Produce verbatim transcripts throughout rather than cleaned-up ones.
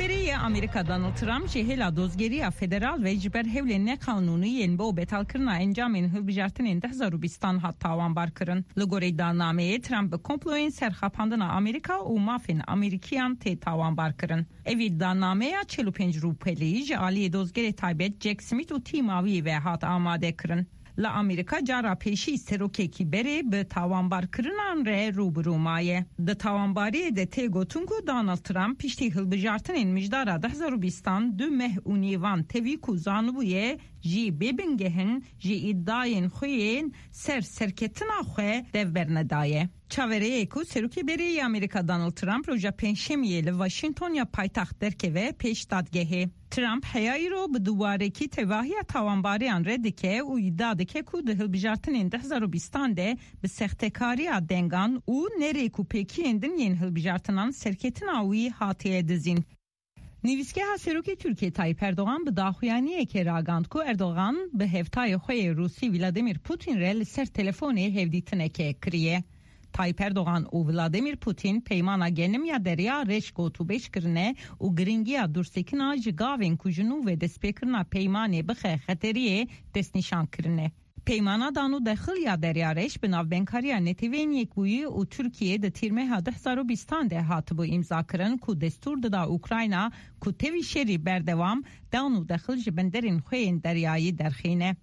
Rêberê yê Amerîka Donald Trump ji hêla dozgeriya federal ve ji ber hewlên neqanûnî yên bo betalkirina encamên hilbijartinên du hezar û bîstan hat tawanbarkirin. Li gorî iddianameyê, Trump bi komployên ser xapandina Amerîka û mafên Amerîkiyan tê tawanbarkirin. Evî iddianameya çil û pênc rûpelî ji aliyê dozgerê taybet Jack Smith û tîma wî ve hat amadekirin. Li Amerîka cara pêşî serokekî berê bi tawanbarkirinan re rû bi rû maye. Di tawanbariyê de tê gotin ku Donald Trump piştî hilbijartinên mijdara du hezar û bîstan du meh û nîvan tevî ku zanibûye jî bê bingeh in, ji îdayên xwe yên ser serketina xwe dev bernedaye. Çaverêyê ku serokê berê yê Amerîka Donald Trump roja Pêncşemiyê li Washington ya paytaxt derkeve pêş dadgehê. Trump heya îro bi duwarekî tevahiya tawanbariyan red dike û îdia dike ku di hilbijartinên du hezar û bîstan de bi sextekariya dengan û nerêk û pêkiyên din yên hilbijartinan serketina wî hatiye dizîn. Nivîsgeha Serokê Tirkiyê Tayyip Erdogan bi daxuyaniyekê ragand ku Erdogan bi hevtayê xwe yê Rûsî Vladimir Putin re li ser telefonê hevdîtineke kiriye. Tayyip Erdogan û Vladimir Putin peymana genim ya Derya Reş gotûbêj kirine û giringiya dûrsekina ji gavên ku ji nû ve destpêkirina peymanê bixe xeteriyê destnîşan kirine. Peymana dan û dexil ya Derya Reş bi navbenkariya Neteweyên Yekbûyî û Tirkiyê di tîrmeha du hezar û bîstan de hatibû îmzakirin ku destûr dida Ukrayna ku tevî şerî berdewam dan û dexil ji benderên xwe yên deryayî derxîne.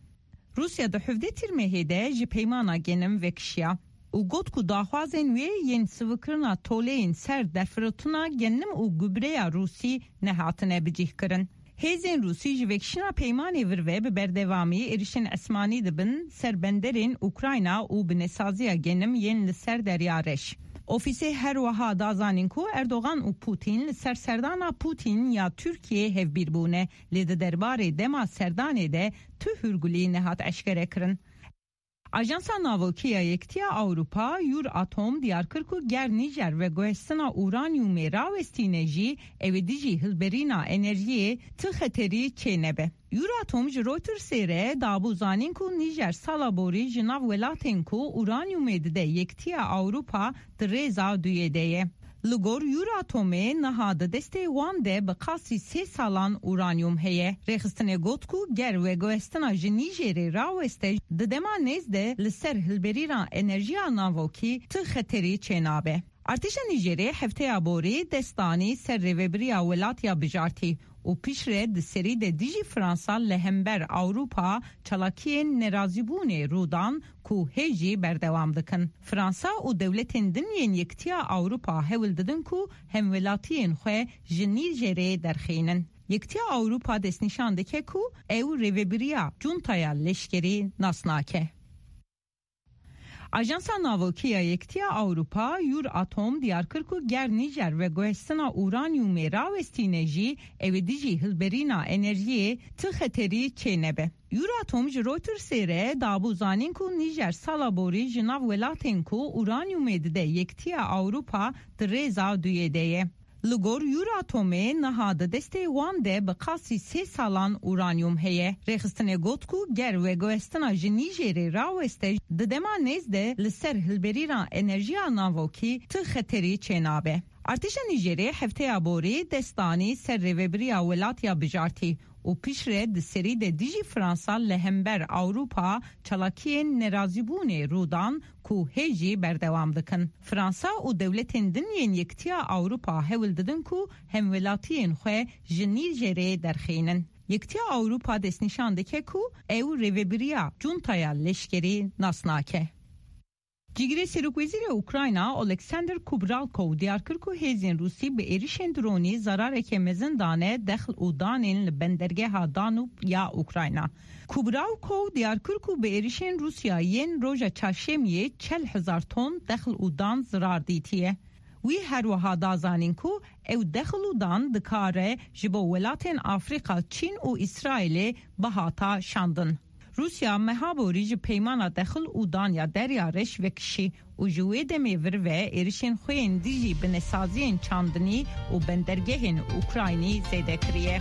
Rûsya di hevdeh tîrmehê de ji peymana genim vekişiya û got ku daxwazên wê yên sivikirina toleyên ser derfirotina genim û gubreya Rûsî nehatine bicîhkirin. Hêzên Rûsî ji vekişîna peymanê vir ve bi berdewamî êrişên esmanî dibin ser benderên Ukrayna û binesaziya genim yên li ser Derya Reş. Ofîsê her wiha da zanîn ku Erdogan û Putin li ser serdana Putin ya Tirkiyê hevbîr bûne, lê di derbarê dema serdanê de tu hûrgulî nehat eşkere kirin. Ajansa Navokî ya Yekitiya Ewropa, Euratom, diyar kir ku ger Nîjer veguhestina uranyumê rawestîne jî, ew ê dijî hilberîna enerjiyê ti xeterî çênebe. Euratom ji Reutersê re dabû zanîn ku Nîjer sala borî ji nav welatên ku uranyumê dide Yekitiya Ewropa di rêza duyê de ye. Li gor Euratomê niha di destê wan de bi qasî sê salan uranyum heye. Rêxistinê got ku ger veguhestina ji Nîjerê raweste, di dema nêz de li ser hilberîna enerjiya navokî ti xeterî çênabe. Artêşa Nîjerê hefteya borî dest danî ser rêvebiriya welat ya bijartî û piştre di serî de dijî Fransa li hember Ewropa çalakiyên nerazîbûnê rû dan ku hê jî berdewam dikin. Fransa û dewletên din yên Yekitiya Ewropa hewl didin ku hemwelatiyên xwe ji Nîjerê derxînin. Yekitiya Ewropa destnîşan dike ku ew rêvebiriya cuntaya leşkerî nas nake. Ajansa Navokî ya Yekitiya Ewropa, Euratom, diyar kir ku ger Nîjer veguhestina uranyumê rawestîne jî, ew ê dijî hilberîna enerjiyê ti xeterî çênebe. Euratom ji Reutersê re dabû zanîn ku Nîjer sala borî ji nav welatên ku uranyumê dide Yekitiya Ewropa di rêza duyê de ye. Li gor Euratomê niha di destê wan de bi qasî sê salan uranyum heye. Rêxistinê got ku ger veguhestina ji Nîjerê raweste, di dema nêz de li ser hilberîna enerjiya navokî ti xeterî çênabe. Artêşa Nîjerê hefteya borî dest danî ser rêvebiriya welat ya bijartî û piştre di serî de dijî Fransa li hember Ewropa çalakiyên nerazîbûnê rû dan ku hê jî berdewam dikin. Fransa û dewletên din yên Yekitiya Ewropa hewl didin ku hemwelatiyên xwe ji Nîjerê derxînin. Yekitiya Ewropa destnîşan dike ku ew rêvebiriya cuntaya leşkerî nas nake. Cîgirê Serokwezîrê Ukrayna Oleksandr Kubralkov diyar kir ku hêzên Rûsî bi êrişên dronî zerareke mezin dane dexl û danên li bendergeha Danub ya Ukrayna. Kubralkov diyar kir ku bi êrişên Rûsya yên roja çarşemiyê çel hezar ton dexl û dan zirar dîtiye. Wî her wiha da zanîn ku ew dexl û dan dikare ji bo welatên Afrîka, Çîn û Îsraîlê bihata şandin. Rûsya meha borî ji peymana dexil û dan ya Derya Reş vekişî û ji wê demê vir ve êrişên xwe yên dijî binesaziyên çandinî û bendergehên Ukraynî zêde kiriye.